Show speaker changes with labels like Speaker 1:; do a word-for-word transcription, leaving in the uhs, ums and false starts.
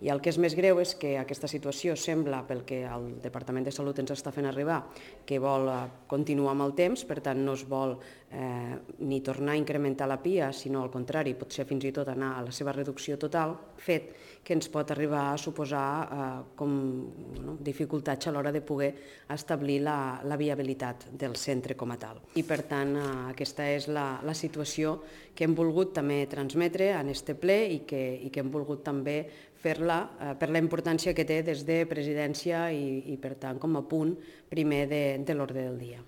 Speaker 1: I el que és més greu és que aquesta situació sembla, pel que el Departament de Salut ens està fent arribar, que vol continuar amb el temps, per tant no es vol eh, ni tornar a incrementar la P I A, sinó al contrari, potser fins i tot anar a la seva reducció total, fet que ens pot arribar a suposar eh, com bueno, dificultats a l'hora de poder establir la, la viabilitat del centre com a tal. I per tant eh, aquesta és la, la situació que hem volgut també transmetre en este ple i que, i que hem volgut també fer-la eh, per la importància que té des de presidència i, i per tant com a punt primer de, de l'ordre del dia.